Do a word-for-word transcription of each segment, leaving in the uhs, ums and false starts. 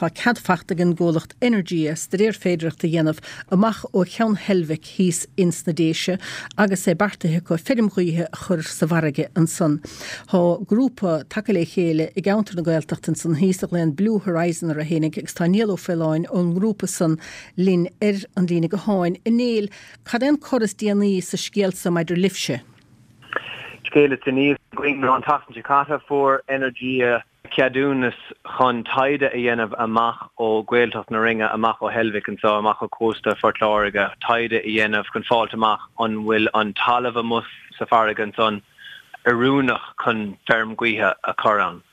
Tá cead faighte ag an gcomhlacht Energia staidéar féidearthachta a dhéanamh amach ó Cheann Heilbhic thíos ins na Déise agus é beartaithe acu feirm ghaoithe a chur sa bhfarraige ansan. Tá grúpa tagtha le chéile i gceantar na Gaeltachta ansan thíos a ghlaonn Blue Horizon orthu fhéinig agus tá Niall Ó Faoláin ón ngrúpa san linn ar an líne gutháin. A Néill, cad é an cor is déanaí sa scéal seo maidir libhse? Scéal is déanaí againn ná an tseachtain seo caite fuair Energia ceadúnas chun taighde a dhéanamh amach ó Ghaeltacht na Rinne amach ó Heilbhic anseo amach ó chósta Phort Láirge taighde a dhéanamh chun fáilt amach an bhfuil an talamh amuigh sa bhfarraige ansan oiriúnach chun feirm gaoithe a chur ann.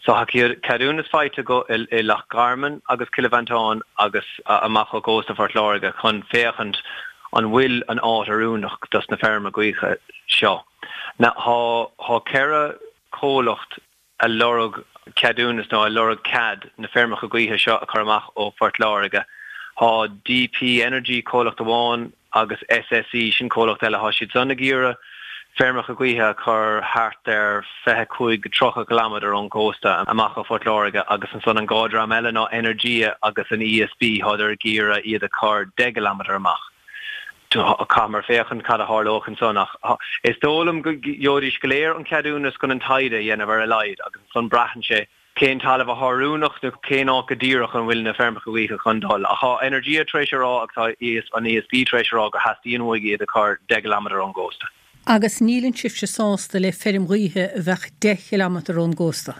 So tá ceadúnas faighte acu i, i Loch Garman agus Cill Mhantáin agus amach ó chósta Phort Láirge chun féachaint an bhfuil an áit oiriúnach dos na feirmeacha gaoithe seo. Now tá tá ceithre chomhlacht ag lorg ceadúnas nó ag lorg cead na feirmeacha gaoithe seo a chur amach ó Phort Láirge. Tá DP Energy comhlacht amháin agus SSE sin comhlacht eile tá siad san ag iarraidh feirmeacha gaoithe a chur thart ar fiche cúig tríocha kilometer ón gcósta amach ó Phort Láirge agus ansan an dhá dream eile ná Energia agus an ESB tádar ag iarraidh iad a chur deich kilometer amach. Caithfear féachaint cad a tharlóidh ansan ach is dóigh liom go gheobhaidís go léir an ceadúnas chun an taighde a dhéanamh ar a laghad agus ansan braitheann sé cén talamh atá oiriúnach nó cén áit go díreach an bhfuil na feirmeacha gaoithe chun dul. Ach tá Energia tar éis a rá agus tá an ESB tar éis a rá go theastaíonn uaidh iad a chur deich kilometer ón gcósta. Agus níl sibhse sásta le feirm ghaoithe a bheadh deich kilometer ón gcósta.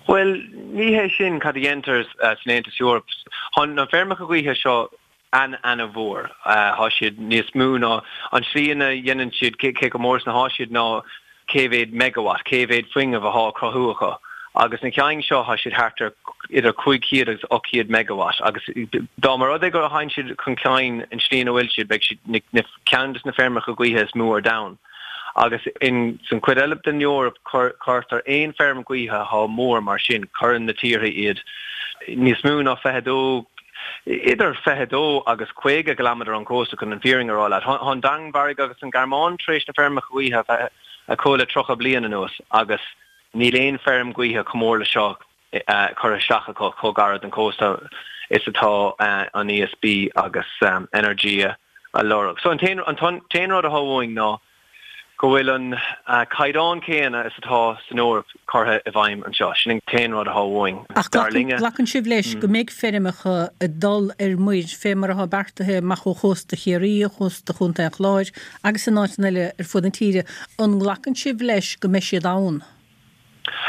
Well, ní hé sin cad a dhéantar san Aontas Eorpach. Tá na feirmeacha gaoithe seo an an-mhór Tá siad níos mó ná an slí ina dhéanann siad cé chomh mór is atá siad ná cé mhéad megawatt, cé mhéad fuinneamh atá cruthú acu. Agus na ceann seo tá siad thart ar idir cúig chéad agus ocht chéad megawatt agus dá mba rud é go théann siad chun cinn an tslí ina bhfuil siad beidh siad ceann des na feirmeacha gaoithe is mó ar domhan. Agus in san chuid eile den Eoraip cuirtear aon feirm gaoithe atá mór mar sin cuireann na tíortha iad níos mó ná fiche dó idir fiche dó agus caoga kilometer ón gcósta chun an fhírinne a rá leat. Tá an Danmhairg agus an Ghearmáin tar éis na feirmeacha gaoithe acu le tríocha bliain anuas agus níl aon feirm gaoithe chomh mór le seo curtha isteach acu chomh gar don chósta is atá an ESB agus um, Energia a lorg. So an t-aon rud atá uainn ná go bhfuil an uh, caighdeán céanna is atá san Eoraip curtha i bhfeidhm anseo sin an t-aon rud atá uainn. Ach glacann sibh leis go mbeidh feirmeacha ag dul ar muir fé mar atá beartaithe amach ó chósta Chiarraí, chósta Chontae an Chláir agus in áiteanna eile ar fud na tíre, an nglacann sibh leis go mbeidh siad ann.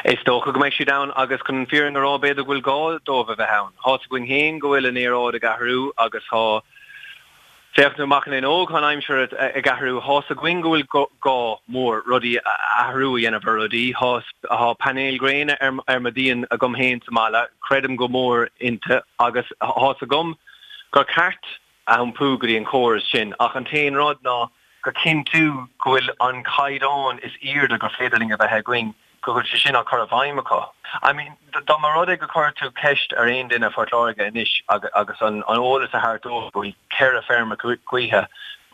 Is dócha go mbeidh siad ann agus chun an fhírinne a rá b'fhéidir go bhfuil gá dóibh a bheith ann. Tá a fhios againn féin go bhfuil an aeráid ag athrú agus tá Féach amach in óg an aimsir ag athrú tá a fhios againn go bhfuil gá mór rudaí athrú a dhéanamh ar rudaí Tá painéil gréine ar ar mo dhíon agam féin sa mbaile, creidim go mór inti agus tá a fhios agam gur ceart iompú go dtí an córas sin ach an t-aon rud ná go cinntiú go bhfuil an caighdeán is airde gur féidir linn a bheith againn go bhfuil sé sin á chur i bhfeidhm acu. I mean dá mba rud é go chuir tú ceist ar aon duine Phort Láirge anois agus an an eolas a thabhairt dóibh go bhfuil ceithre feirm gaoithe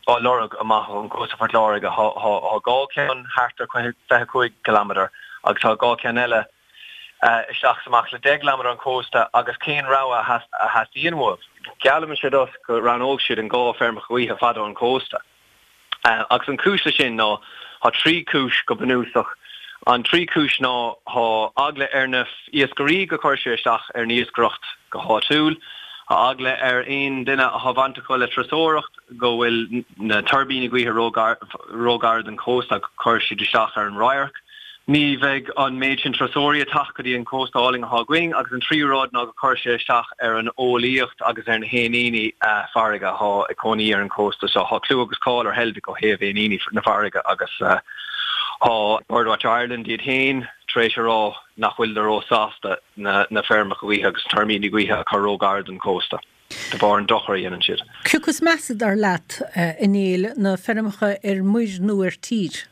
á lorg amach ón gcósta Phort Láirge tá dhá ceann thart ar fiche cúig kilometer agus tá dhá ceann eile isteach amach le deich kilometer ón cósta agus cén rogha a theastaíonn uaibh. Geallaimse duit go roghnódh siad an dhá feirm gaoithe fada ón cósta. Agus an chúis sin ná tá trí chúis go bunúsach An trí chúis ná tá eagla ar na iascairí go gcuirfidh sé isteach ar an iascaireacht go háitiúil, Tá eagla ar aon duine atá baint acu le turasóireacht go bhfuil na tuirbíní gaoithe róghar don chósta cuirfidh siad isteach ar an radharc. Ní bheidh an méid sin turasóirí ag teacht go dtí an cósta álainn atá againn agus an tríú rud ná go cuirfidh sé isteach ar an eolaíocht agus ar na héiníní farraige atá ag cónaí ar an cósta seo. Tá clú agus cáil ar Heilbhic ó thaobh éiníní na farraige agus tá Birdwatch Ireland iad féin tar éis a rá nach bhfuil ró-sásta na na feirmeacha gaoithe agus tuirbíní gaoithe a chur róghar don cósta de bharr an dochar a dhéanann siad. Cé acu is measa dar leat a Néill na feirmeacha ar muir nó ar tír?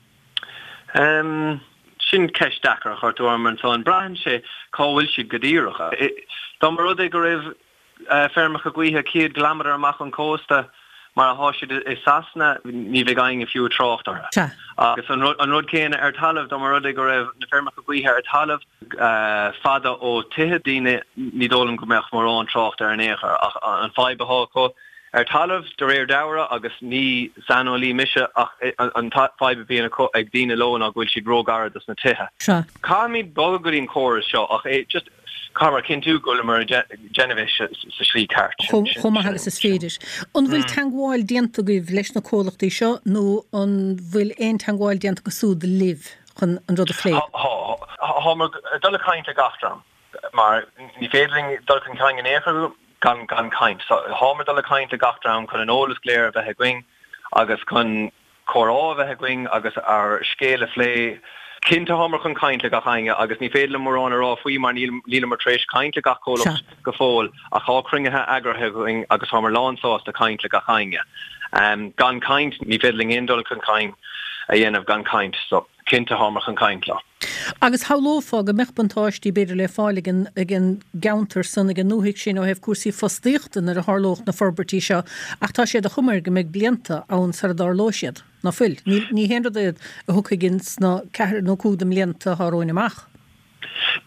Um, sin ceist deacair a chuir tú orm ansan braitheann sé cá bhfuil siad go díreach. Dá mba rud é go raibh feirmeacha gaoithe céad kilometer amach an cósta Mar atá siad i Sasana, ní bheidh éinne fiú ag trácht orthu. Sea. Agus an rud, an rud céanna ar talamh, dá mba rud é go raibh na feirmeacha gaoithe ar talamh fada ó tithe daoine, ní dóigh liom go mbeadh mórán trácht air in aon chor. Ach an fadhb atá acu ar talamh, de réir dealraimh, agus ní saineolaí mise, ach an fadhb a bhíonn acu ag daoine leo ná go bhfuil siad róghar dos na tithe. Sea. Caithfimid bogadh go dtí an córas seo ach é just caithfear cinntiú go bhfuileamar ag déanamh é sa slí ceart. Chomh maith agus is féidir. An bhfuil teagmháil déanta agaibh leis na comhlachtaí seo nó an bhfuil aon teagmháil déanta acu siúd libh chun an rud a phlé? Tá. Táimid ag dul ag caint le gach dream mar ní féidir linn dul chun cinn in aon chor gan gan caint. So táimid ag dul ag caint le gach dream chun an eolas go léir a bheith againn agus chun comhrá a bheith againn agus ár scéal a phlé. Cinnte táimid chun caint le gach éinne agus ní féidir liom mórán a rá faoi mar níleamar tar éis caint le gach comhlacht go fóill ach tá cruinnithe eagraithe againn agus táimid lánsásta caint le gach éinne. Gan caint, ní féidir linn aon dul chun cinn a dhéanamh gan caint so cinnte táimid chun caint leo. Agus shamhlófá go mbeadh buntáistí b'fhéidir le fáil ag an ag an gceantar san, ag an ndúthaigh sin ó thaobh cúrsaí fostaíochta nuair a tharlódh na forbairtí seo ach tá sé de chuma air go mbeidh blianta ann sara dtarlóidh siad, ná fuil? Ní ní haon rud é a thiocfaidh ins na ceathair nó cúig de mblianta atá romhainn amach.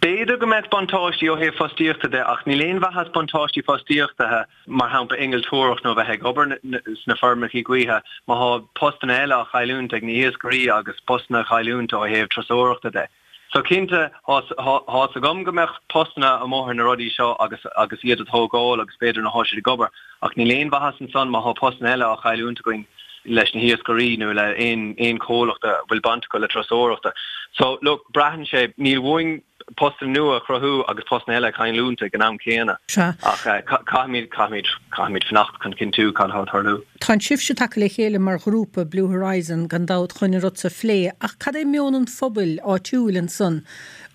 B'fhéidir go mbeadh buntáistí ó thaobh fostaíochta de ach níl aon mhaitheas buntáistí fostaíochta, mar shampla innealtóireacht nó bheith ag obair sna feirmeacha gaoithe, má thá postanna eile á chailliúint ag na hiascairí agus postanna á chailliúint ó thaobh turasóireachta de. So cinnte, thá's agam go mbeadh postanna amuigh ar na rudaí seo agus agus iad a tógáil agus b'fhéidir nuair athá siad ag obair ach níl aon mhaitheas ansan má thá postanna eile á chailliúint againn leis na hiascairí nó le aon aon chomhlacht a bhfuil baint acu le turasóireachta. So look, braitheann sé, níl uainn postanna nua a chruthú agus postanna eile a chailliúint ag an am céanna. Sea. Ach caithfimid, caithfimid, caithfimid fanacht chun cinntiú cad atá ag tarlú. Tá sibhse tagtha le chéile mar ghrúpa, Blue Horizon, gan dabht, chun an rud seo a phlé, ach cad é meon an phobail áitiúil ansan?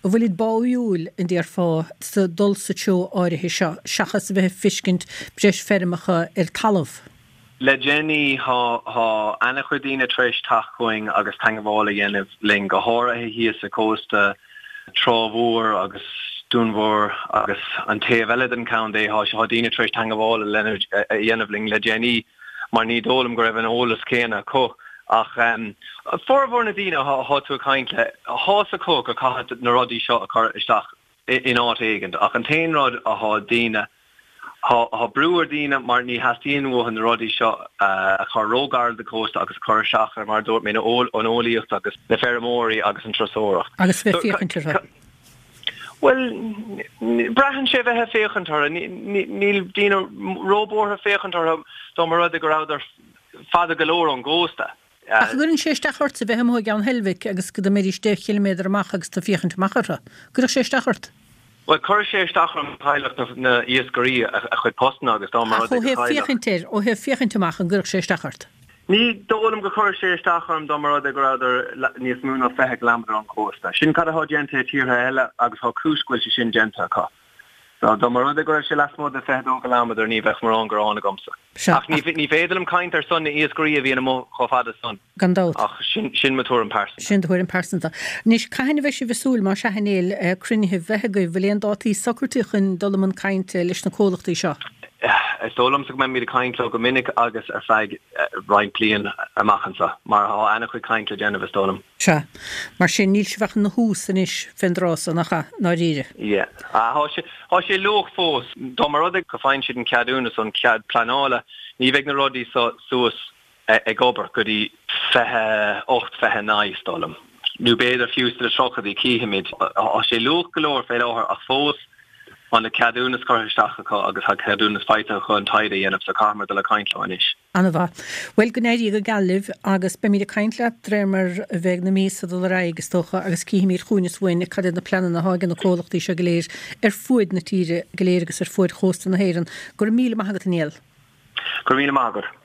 An bhfuilid báúil, an déarfá, sa dul sa treo áirithe seo, seachas a bheith ag feiscint breis feirmeacha ar talamh? Le déanaí tá ana-chuid daoine tar éis teacht chugainn agus teangmháil a dhéanamh linn, go háirithe thíos sa chósta, Trá Mhór agus Dún Mór agus an taobh eile den chontae. Tá daoine tar éis teangmháil a dhéanamh linn le déanaí mar ní dóigh liom go raibh an eolas céanna acu. Ach formhór na daoine atá tú ag caint le, tá's acu go caithfidh na rudaí seo a chur isteach in áit éigint. Ach an t-aon rud atá daoine Tá brú ar daoine mar ní theastaíonn uathu na rudaí seo a chur róghar don chósta agus a chur isteach ar, mar a dúirt mé, an eolaíocht agus na feirmeoirí agus an turasóireacht. Agus bheith ag féachaint orthu. Bhuel, braitheann sé bheith ag féachaint orthu. Níl daoine róbhuartha féachaint orthu dá mba rud é go rabhadar fada go leor ón gcósta. Ach an gcuireann sé isteach ortsa bheith amuigh i gCeann Heilbhic agus go mbeidís deich chiliméadar amach agus tú ag féachaint amach orthu? Gcuirfeadh sé isteach ort? Bhuel, chuir sé isteach orm chaillfeadh na iascairí a chuid postanna agus dá mba Ach rud ó é go thaobh chaillfeadh. féachaint air, ó thaobh féachaint amach, an gcuirfeadh sé isteach ort? Ní dóigh liom go gcuirfeadh sé isteach orm dá mba rud é go rabhadar níos mó ná fiche ciliméadar ón chósta. Sin cad atá déanta i tíortha eile agus tá cúis go bhfuil sé sin déanta acu. So, dá mba rud é go raibh sé lasmuigh de fiche dó ciliméadar ní bheadh mórán gearán agamsa. Sea, Ach ní ach. ní féidir liom caint ar son na iascairí a bhíonn amuigh chomh fada san. Gan dabht. Ach sin sin mo tuairim pearsanta. Sin do thuairim pearsanta. Anois, cathain a bheidh sibh ag súil, más ea, a Néill, cruinnithe bheith agaibh? Bhfuil aon dátaí socraithe chun dul i mbun cainte leis na comhlachtaí seo? Is dóigh liomsa go mbeimid ag caint leo go minic agus ar feadh roinnt bliain amach anseo, mar tá an-chuid caint le déanamh, is dóigh liom. Sea. Mar sin, níl sibh ach ina thús anois fén dtráth so, nach ea, i ndáiríre? Yeah. Tá sé, tá sé luath fós. Dá mba rud é go faigheann siad an ceadúnas, an cead pleanála, ní bheidh na rudaí so suas ag obair go dtí fiche ocht, fiche naoi, is dóigh liom. Nó b'fhéidir fiú sna tríochaidí, cífimid. Tá sé luath go leor fé láthair ach fós tá na ceadúnas curtha isteach acu agus tá ceadúnas faighte acu an taighde a dhéanamh so caithfimid dul ag caint leo anois. An-mhaith. Bhuel, go n-éirí go geal libh agus beimid ag caint leat de réir mar a bheidh na míosa ag dul ar aghaidh, is dócha, agus cífimid chugainn is uainn cad iad na pleananna atá ag na comhlachtaí seo go léir ar fuaid na tíre go léir agus ar fuaid chósta na hÉireann. Go raibh míle maith agat, a Néill. Go raibh míle maith agat.